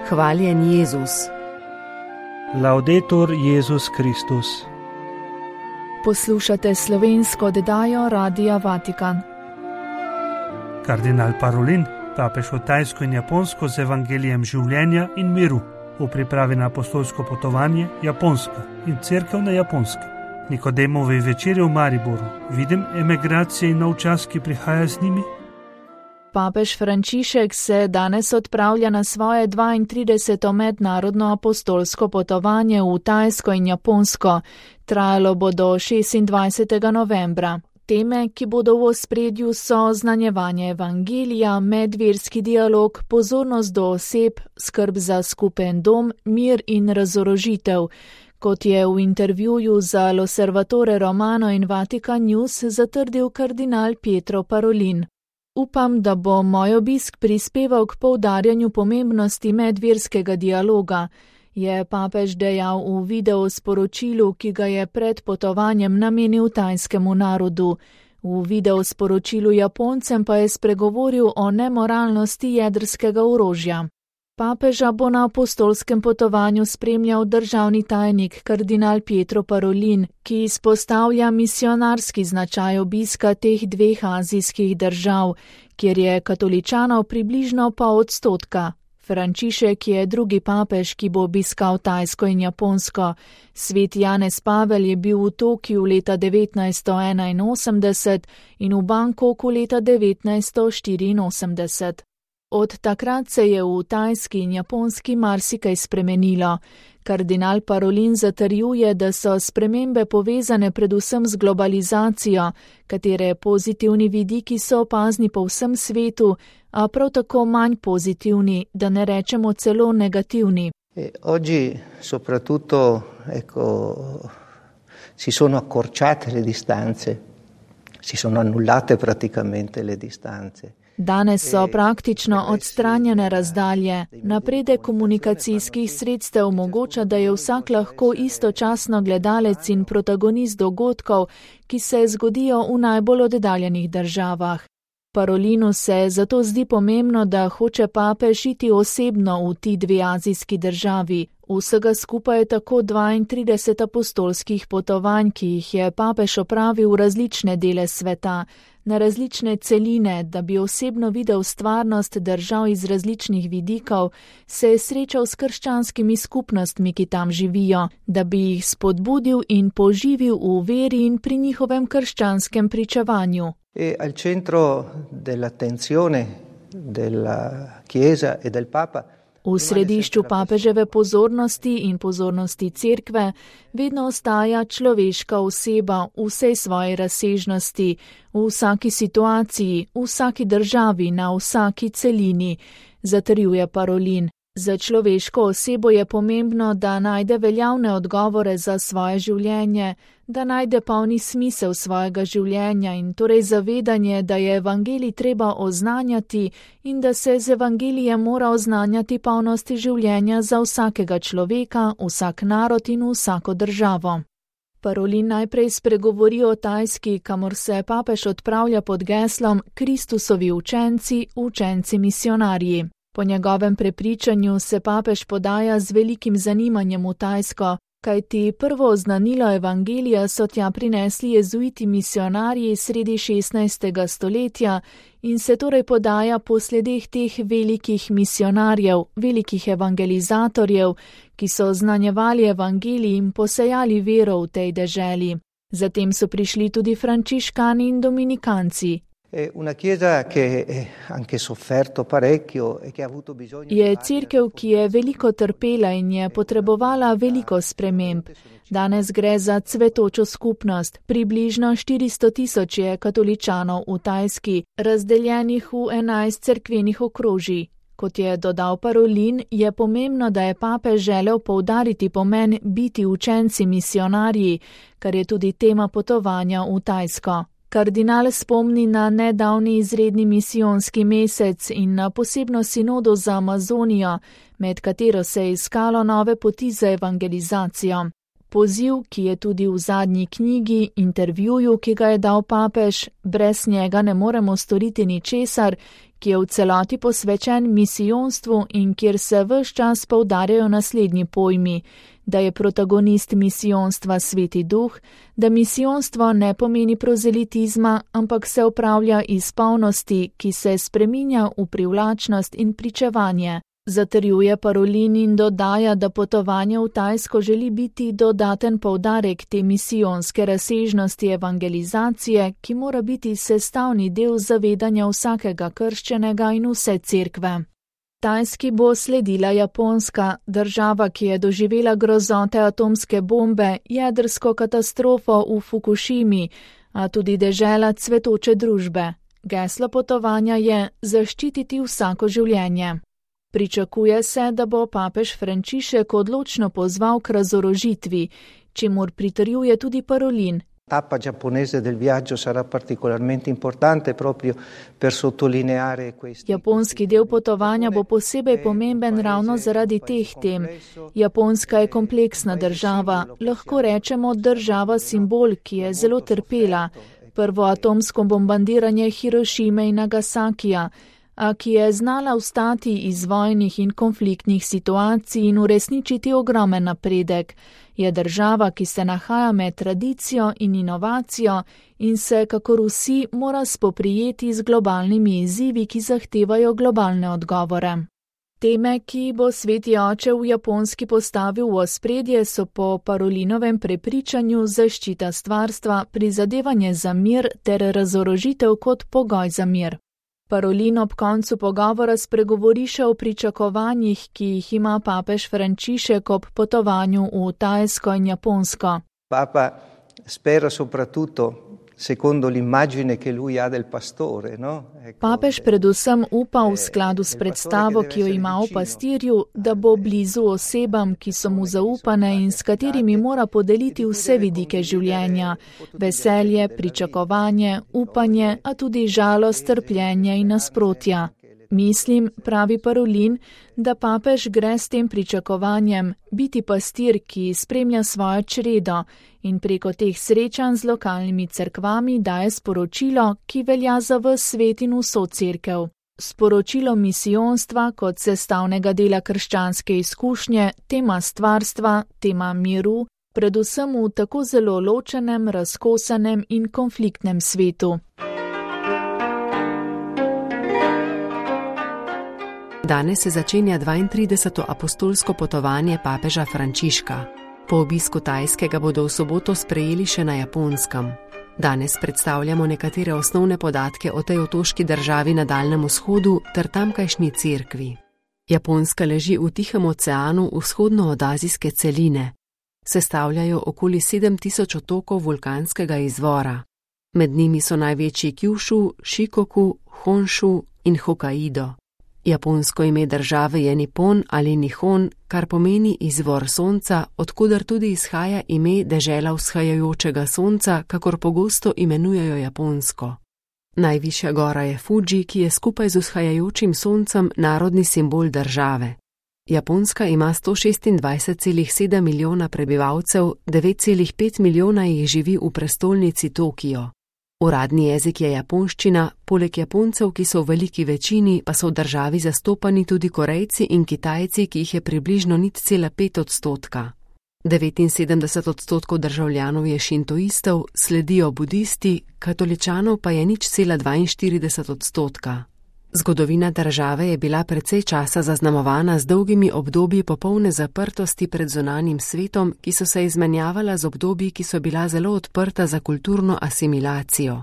Hvaljen Jezus. Laudetur Jezus Kristus. Poslušate slovensko oddajo Radia Vatikan. Kardinal Parolin, papež v Tajsko in Japonsko z evangelijem življenja in miru v pripravi na apostolsko potovanje Japonska in cerkev na Japonskem. Nikodemovi večerji v Mariboru. Vidim emigracije in nov čas, ki prihaja z njimi. Papež Frančišek se danes odpravlja na svoje 32. mednarodno apostolsko potovanje v Tajsko in Japonsko. Trajalo bo do 26. novembra. Teme, ki bodo v ospredju, so znanjevanje evangelija, medverski dialog, pozornost do oseb, skrb za skupen dom, mir in razorožitev. Kot je v intervjuju za L'Osservatore Romano in Vatican News zatrdil kardinal Pietro Parolin. Upam, da bo moj obisk prispeval k poudarjanju pomembnosti medverskega dialoga, je papež dejal v videosporočilu, ki ga je pred potovanjem namenil tajskemu narodu. V videosporočilu Japoncem pa je spregovoril o nemoralnosti jedrskega orožja. Papeža bo na apostolskem potovanju spremljal državni tajnik kardinal Pietro Parolin, ki izpostavlja misionarski značaj obiska teh dveh azijskih držav, kjer je katoličanov približno pol odstotka. Frančišek je drugi papež, ki bo obiskal Tajsko in Japonsko. Sveti Janez Pavel je bil v Tokiu leta 1981 in v Bangkoku leta 1984. Od takrat se je v Tajski in Japonski marsikaj spremenilo. Kardinal Parolin zatrjuje, da so spremembe povezane predvsem z globalizacijo, katere pozitivni vidiki so opazni po vsem svetu, a prav tako manj pozitivni, da ne rečemo celo negativni. Oggi soprattutto si sono accorciate le distanze, si sono annullate praticamente le distanze. Danes so praktično odstranjene razdalje. Napredek komunikacijskih sredstev omogoča, da je vsak lahko istočasno gledalec in protagonist dogodkov, ki se zgodijo v najbolj oddaljenih državah. Parolinu se zato zdi pomembno, da hoče papež iti osebno v ti dve azijski državi. Vsega skupaj je tako 32 apostolskih potovanj, ki jih je papež opravil v različne dele sveta, na različne celine, da bi osebno videl stvarnost držav iz različnih vidikov, se je srečal s krščanskimi skupnostmi, ki tam živijo, da bi jih spodbudil in poživil v veri in pri njihovem krščanskem pričevanju. Al centro dell'attenzione della Chiesa e del Papa. V središču papeževe pozornosti in pozornosti cerkve vedno ostaja človeška oseba v vsej svoji razsežnosti, v vsaki situaciji, v vsaki državi, na vsaki celini, zatrjuje Parolin. Za človeško osebo je pomembno, da najde veljavne odgovore za svoje življenje, da najde polni smisel svojega življenja in torej zavedanje, da je evangelij treba oznanjati in da se z evangelijem mora oznanjati polnosti življenja za vsakega človeka, vsak narod in vsako državo. Parolin najprej spregovori o Tajski, kamor se papež odpravlja pod geslom Kristusovi učenci, učenci misionarji. Po njegovem prepričanju se papež podaja z velikim zanimanjem v Tajsko, kajti prvo oznanilo evangelija so tja prinesli jezuiti misionarji sredi 16. stoletja in se torej podaja po sledeh teh velikih misionarjev, velikih evangelizatorjev, ki so oznanjevali evangelij in posejali vero v tej deželi. Zatem so prišli tudi frančiškani in dominikanci. Je cerkev, ki je veliko trpela in je potrebovala veliko sprememb. Danes gre za cvetočo skupnost, približno 400.000 je katoličanov v Tajski, razdeljenih v 11 cerkvenih okrožij. Kot je dodal Parolin, je pomembno, da je papež želel poudariti pomen biti učenci misionarji, kar je tudi tema potovanja v Tajsko. Kardinal spomni na nedavni izredni misijonski mesec in na posebno sinodo za Amazonijo, med katero se je iskalo nove poti za evangelizacijo. Poziv, ki je tudi v zadnji knjigi, intervjuju, ki ga je dal papež, brez njega ne moremo storiti ničesar, ki je v celoti posvečen misijonstvu in kjer se ves čas poudarjajo naslednji pojmi, da je protagonist misijonstva Sveti Duh, da misijonstvo ne pomeni prozelitizma, ampak se upravlja iz polnosti, ki se spreminja v privlačnost in pričevanje. Zatrjuje Parolin in dodaja, da potovanje v Tajsko želi biti dodaten poudarek te misijonske razsežnosti evangelizacije, ki mora biti sestavni del zavedanja vsakega krščenega in vse cerkve. Tajski bo sledila Japonska, država, ki je doživela grozote atomske bombe, jedrsko katastrofo v Fukušimi, a tudi dežela cvetoče družbe. Geslo potovanja je zaščititi vsako življenje. Pričakuje se, da bo papež Frančišek odločno pozval k razorožitvi, čemur pritrjuje tudi Parolin. Tappa giapponese del viaggio sarà particolarmente importante proprio per sottolineare questi. Japonski del potovanja bo posebej pomemben ravno zaradi teh tem. Japonska je kompleksna država, lahko rečemo država simbol, ki je zelo trpela. Prvo atomsko bombardiranje Hirošime in Nagasakija, a ki je znala vstati iz vojnih in konfliktnih situacij in uresničiti ogromen napredek, je država, ki se nahaja med tradicijo in inovacijo in se, kakor vsi, mora spoprijeti z globalnimi izzivi, ki zahtevajo globalne odgovore. Teme, ki bo Sveti oče v Japonski postavil v ospredje, so po Parolinovem prepričanju zaščita stvarstva, prizadevanje za mir ter razorožitev kot pogoj za mir. Parolin ob koncu pogovora spregovori še o pričakovanjih, ki jih ima papež Frančišek ob potovanju v Tajsko in Japonsko. Papa spera soprattutto secondo l'immagine che lui ha del pastore, no? Papež predvsem upa v skladu s predstavo, ki jo ima o pastirju, da bo blizu osebam, ki so mu zaupane in s katerimi mora podeliti vse vidike življenja, veselje, pričakovanje, upanje, a tudi žalost, trpljenje in nasprotja. Mislim, pravi Parolin, da papež gre s tem pričakovanjem biti pastir, ki spremlja svojo čredo in preko teh srečanj z lokalnimi cerkvami daje sporočilo, ki velja za ves svet in vso cerkev. Sporočilo misijonstva kot sestavnega dela krščanske izkušnje, tema stvarstva, tema miru, predvsem v tako zelo ločenem, razkosanem in konfliktnem svetu. Danes se začenja 32. apostolsko potovanje papeža Frančiška. Po obisku Tajskega bodo v soboto sprejeli še na Japonskem. Danes predstavljamo nekatere osnovne podatke o tej otoški državi na Daljnem vzhodu ter tamkajšnji cerkvi. Japonska leži v Tihem oceanu vzhodno od azijske celine. Sestavljajo okoli 7000 otokov vulkanskega izvora. Med njimi so največji Kyushu, Shikoku, Honshu in Hokkaido. Japonsko ime države je Nippon ali Nihon, kar pomeni izvor sonca, odkudar tudi izhaja ime dežela vzhajajočega sonca, kakor pogosto imenujejo Japonsko. Najvišja gora je Fuji, ki je skupaj z vzhajajočim soncem narodni simbol države. Japonska ima 126,7 milijona prebivalcev, 9,5 milijona jih živi v prestolnici Tokio. Uradni jezik je japonščina, poleg Japoncev, ki so v veliki večini, pa so v državi zastopani tudi Korejci in Kitajci, ki jih je približno 0,5%. 79% državljanov je šintoistov, sledijo budisti, katoličanov pa je 0,42%. Zgodovina države je bila precej časa zaznamovana z dolgimi obdobji popolne zaprtosti pred zunanjim svetom, ki so se izmenjavala z obdobji, ki so bila zelo odprta za kulturno asimilacijo.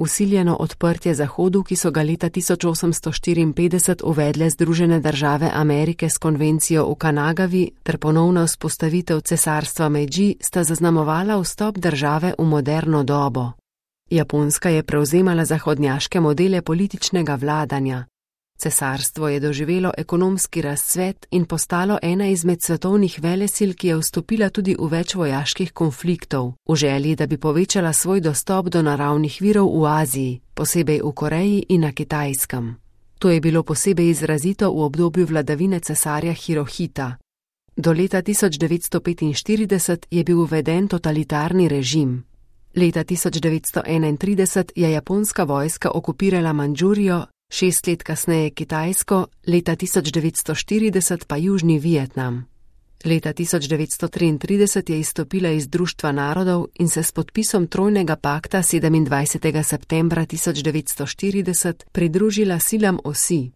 Vsiljeno odprtje Zahodu, ki so ga leta 1854 uvedle Združene države Amerike s konvencijo v Kanagavi ter ponovna vzpostavitev cesarstva Meidži, sta zaznamovala vstop države v moderno dobo. Japonska je prevzemala zahodnjaške modele političnega vladanja. Cesarstvo je doživelo ekonomski razcvet in postalo ena izmed svetovnih velesil, ki je vstopila tudi v več vojaških konfliktov, v želji, da bi povečala svoj dostop do naravnih virov v Aziji, posebej v Koreji in na Kitajskem. To je bilo posebej izrazito v obdobju vladavine cesarja Hirohita. Do leta 1945 je bil uveden totalitarni režim. Leta 1931 je japonska vojska okupirala Mandžurijo, 6 let kasneje Kitajsko, leta 1940 pa Južni Vietnam. Leta 1933 je izstopila iz Društva narodov in se s podpisom Trojnega pakta 27. septembra 1940 pridružila silam osi.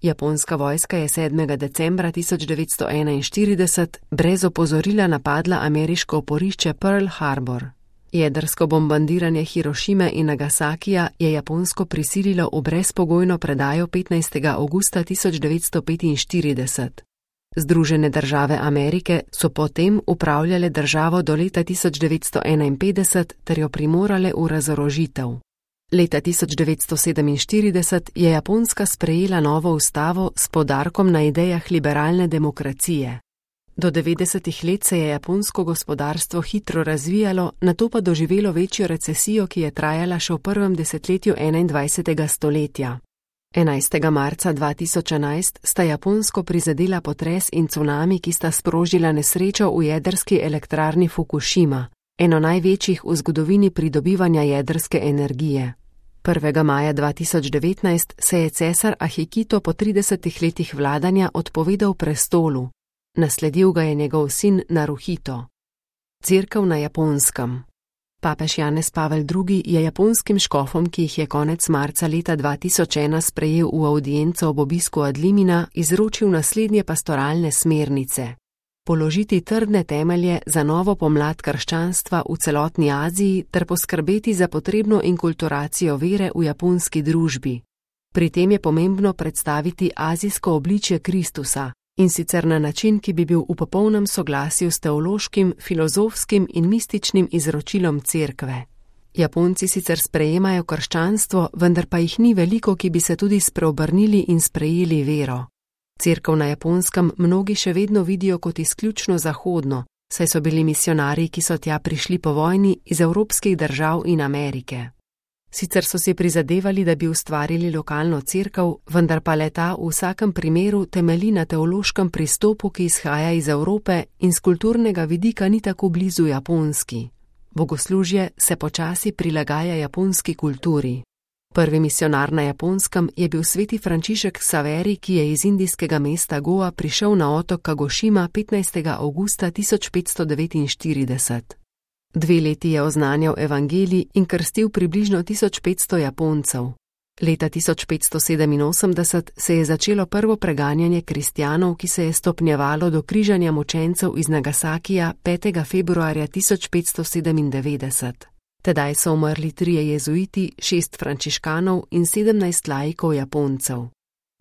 Japonska vojska je 7. decembra 1941 brez opozorila napadla ameriško oporišče Pearl Harbor. Jedrsko bombardiranje Hirošime in Nagasakija je Japonsko prisililo v brezpogojno predajo 15. avgusta 1945. Združene države Amerike so potem upravljale državo do leta 1951 ter jo primorale v razorožitev. Leta 1947 je Japonska sprejela novo ustavo s poudarkom na idejah liberalne demokracije. Do 90. let se je japonsko gospodarstvo hitro razvijalo, nato pa doživelo večjo recesijo, ki je trajala še v prvem desetletju 21. stoletja. 11. marca 2011 sta Japonsko prizadela potres in cunami, ki sta sprožila nesrečo v jedrski elektrarni Fukushima, eno največjih v zgodovini pridobivanja jedrske energije. 1. maja 2019 se je cesar Akihito po 30 letih vladanja odpovedal prestolu. Nasledil ga je njegov sin Naruhito. Cerkev na Japonskem. Papež Janez Pavel II. Je japonskim škofom, ki jih je konec marca leta 2001 sprejel v avdienco ob obisku Adlimina, izročil naslednje pastoralne smernice. Položiti trdne temelje za novo pomlad krščanstva v celotni Aziji ter poskrbeti za potrebno inkulturacijo vere v japonski družbi. Pri tem je pomembno predstaviti azijsko obličje Kristusa, in sicer na način, ki bi bil v popolnem soglasju s teološkim, filozofskim in mističnim izročilom cerkve. Japonci sicer sprejemajo krščanstvo, vendar pa jih ni veliko, ki bi se tudi spreobrnili in sprejeli vero. Cerkev na Japonskem mnogi še vedno vidijo kot izključno zahodno, saj so bili misionarji, ki so tja prišli po vojni, iz evropskih držav in Amerike. Sicer so si prizadevali, da bi ustvarili lokalno cerkev, vendar pa le-ta v vsakem primeru temelji na teološkem pristopu, ki izhaja iz Evrope in z kulturnega vidika ni tako blizu japonski. Bogoslužje se počasi prilagaja japonski kulturi. Prvi misionar na Japonskem je bil sveti Frančišek Saveri, ki je iz indijskega mesta Goa prišel na otok Kagošima 15. avgusta 1549. 2 leti je oznanjal evangelij in krstil približno 1500 Japoncev. Leta 1587 se je začelo prvo preganjanje kristjanov, ki se je stopnjevalo do križanja mučencev iz Nagasakija 5. februarja 1597. Tedaj so umrli 3 jezuiti, 6 frančiškanov in 17 laikov Japoncev.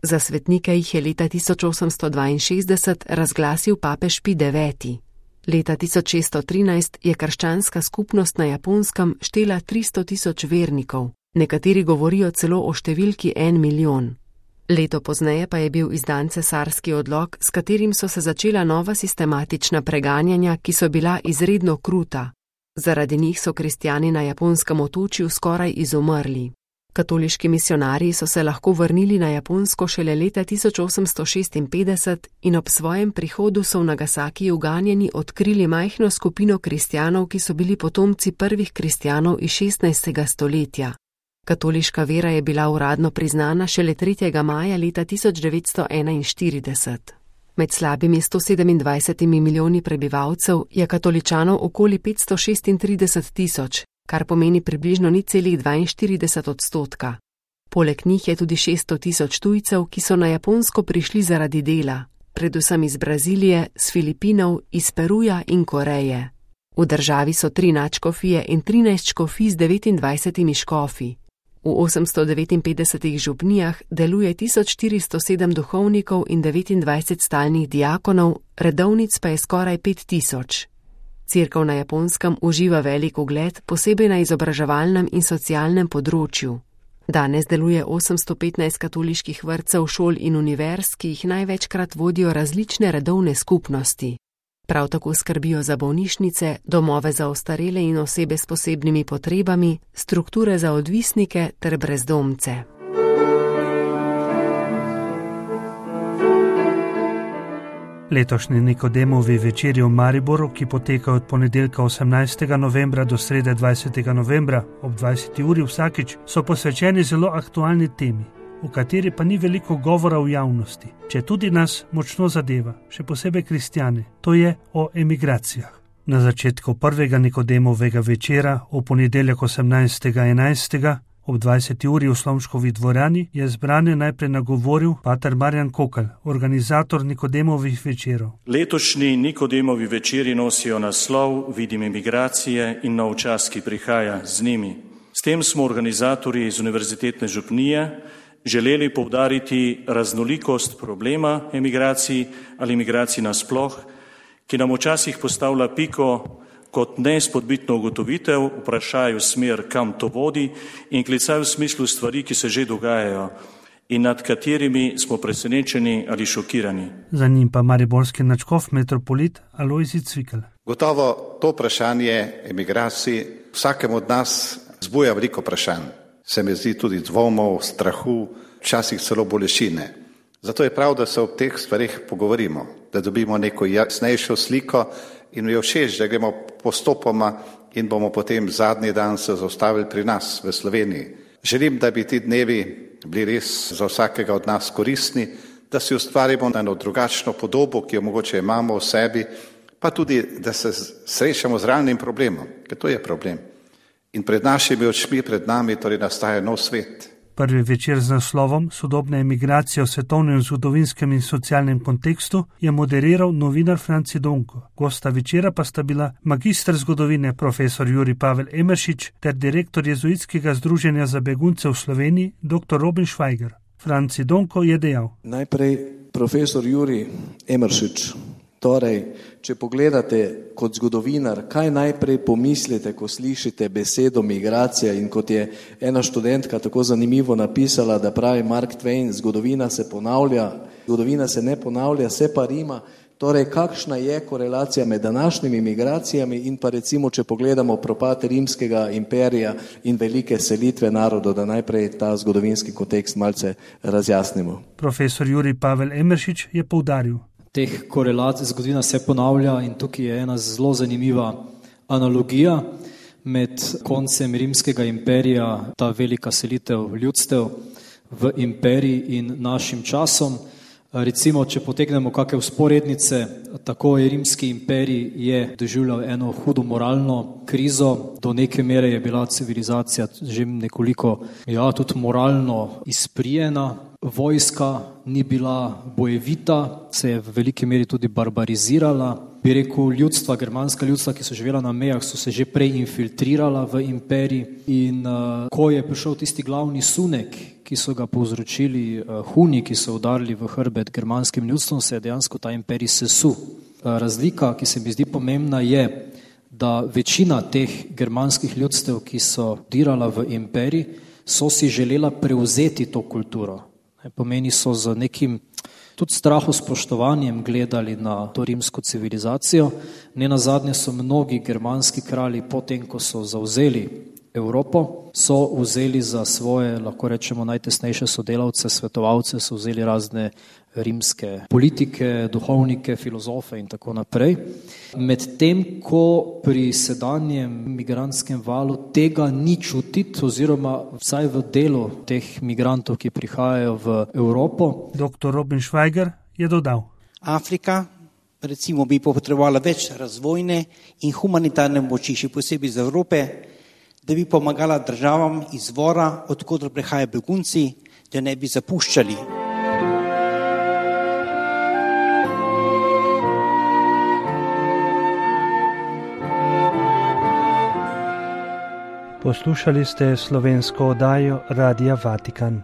Za svetnike jih je leta 1862 razglasil papež Pij IX. Leta 1613 je krščanska skupnost na Japonskem štela 300.000 vernikov, nekateri govorijo celo o številki 1 milijon. Leto pozneje pa je bil izdan cesarski odlok, s katerim so se začela nova sistematična preganjanja, ki so bila izredno kruta. Zaradi njih so kristjani na Japonskem otočju skoraj izumrli. Katoliški misionarji so se lahko vrnili na Japonsko šele leta 1856 in ob svojem prihodu so v Nagasakiju ganjeni odkrili majhno skupino kristjanov, ki so bili potomci prvih kristjanov iz 16. stoletja. Katoliška vera je bila uradno priznana šele 3. maja leta 1941. Med slabimi 127 milijoni prebivalcev je katoličanov okoli 536.000, kar pomeni približno 0,42%. Poleg njih je tudi 600.000 tujcev, ki so na Japonsko prišli zaradi dela, predvsem iz Brazilije, s Filipinov, iz Peruja in Koreje. V državi so 3 nadškofije in 13 škofij z 29 škofi. V 859 župnijah deluje 1407 duhovnikov in 29 stalnih diakonov, redovnic pa je skoraj 5000. Cerkev na Japonskem uživa velik ugled, posebej na izobraževalnem in socialnem področju. Danes deluje 815 katoliških vrtcev, šol in univerz, ki jih največkrat vodijo različne redovne skupnosti. Prav tako skrbijo za bolnišnice, domove za ostarele in osebe s posebnimi potrebami, strukture za odvisnike ter brezdomce. Letošnji Nikodemovi večeri v Mariboru, ki potekajo od ponedeljka 18. novembra do srede 20. novembra ob 20. uri vsakič, so posvečeni zelo aktualni temi. o kateri pa ni veliko govora v javnosti, če tudi nas močno zadeva, še posebej kristjane, to je o emigracijah. Na začetku prvega Nikodemovega večera v ponedeljek 18.11. ob 20. uri v Slomškovi dvorani je zbrane najprej nagovoril pater Marjan Kokl, organizator Nikodemovih večerov. Letošnji Nikodemovi večeri nosijo naslov Vidim emigracije in nov čas, ki prihaja z njimi. S tem smo organizatorji iz Univerzitetne župnije želeli poudariti raznolikost problema emigracij ali emigracij nasploh, ki nam včasih postavlja piko kot neizpodbitno ugotovitev, vprašaju smer, kam to vodi in klicaju v smislu stvari, ki se že dogajajo in nad katerimi smo presenečeni ali šokirani. Za njim pa mariborski nadškof metropolit Alojzij Cvikl. Gotovo to vprašanje emigracij vsakemu od nas zbuja veliko vprašanj. Se mi zdi tudi dvomov, strahu, včasih celo bolečine. Zato je prav, da se o teh stvarih pogovorimo, da dobimo neko jasnejšo sliko in mi je všeč, da gremo postopoma in bomo potem zadnji dan se zaustavili pri nas v Sloveniji. Želim, da bi ti dnevi bili res za vsakega od nas koristni, da si ustvarimo eno drugačno podobo, ki jo mogoče imamo v sebi, pa tudi, da se srečamo z realnim problemom, ker to je problem. In pred našimi očmi, pred nami torej nastaja nov svet. Prvi večer z naslovom Sodobna emigracija v svetovnem zgodovinskem in socialnem kontekstu je moderiral novinar Franci Donko. Gosta večera pa sta bila magister zgodovine profesor Jurij Pavel Emeršič ter direktor Jezuitskega združenja za begunce v Sloveniji dr. Robin Švajger. Franci Donko je dejal. Najprej profesor Jurij Emeršič. Torej, če pogledate kot zgodovinar, kaj najprej pomislite, ko slišite besedo migracija in kot je ena študentka tako zanimivo napisala, da pravi Mark Twain, zgodovina se ponavlja, zgodovina se ne ponavlja, se pa rima. Torej, kakšna je korelacija med današnjimi migracijami in pa recimo, če pogledamo propad rimskega imperija in velike selitve narodov, da najprej ta zgodovinski kontekst malce razjasnimo. Profesor Jurij Pavel Emeršič je poudaril. Teh korelacij zgodovina se ponavlja in tukaj je ena zelo zanimiva analogija med koncem rimskega imperija, ta velika selitev ljudstev v imperij in našim časom. Recimo, če potegnemo kakšne vzporednice, tako je rimski imperij je doživljal eno hudo moralno krizo, do neke mere je bila civilizacija že nekoliko tudi moralno izprijena. Vojska ni bila bojevita, se je v veliki meri tudi barbarizirala. Bi rekel, ljudstva, germanska ljudstva, ki so živela na mejah, so se že prej infiltrirala v imperij in ko je prišel tisti glavni sunek, ki so ga povzročili Huni, ki so udarili v hrbet germanskim ljudstvom, se je dejansko ta imperij sesul. Razlika, ki se mi zdi pomembna, je, da večina teh germanskih ljudstev, ki so dirala v imperij, so si želela prevzeti to kulturo. Pomeni so z nekim tudi strahospoštovanjem gledali na to rimsko civilizacijo. Nenazadnje so mnogi germanski kralji, potem ko so zavzeli Evropo, so vzeli za svoje, lahko rečemo, najtesnejše sodelavce, svetovalce, so vzeli razne rimske politike, duhovnike, filozofe in tako naprej. Medtem ko pri sedanjem migrantskem valu tega ni čutiti, oziroma vsaj v delu teh migrantov, ki prihajajo v Evropo. Dr. Robin Švajger je dodal. Afrika recimo bi potrebovala več razvojne in humanitarne moči, še posebej iz Evrope, da bi pomagala državam izvora, odkudar prihajajo begunci, da ne bi zapuščali. Poslušali ste slovensko oddajo Radia Vatikan.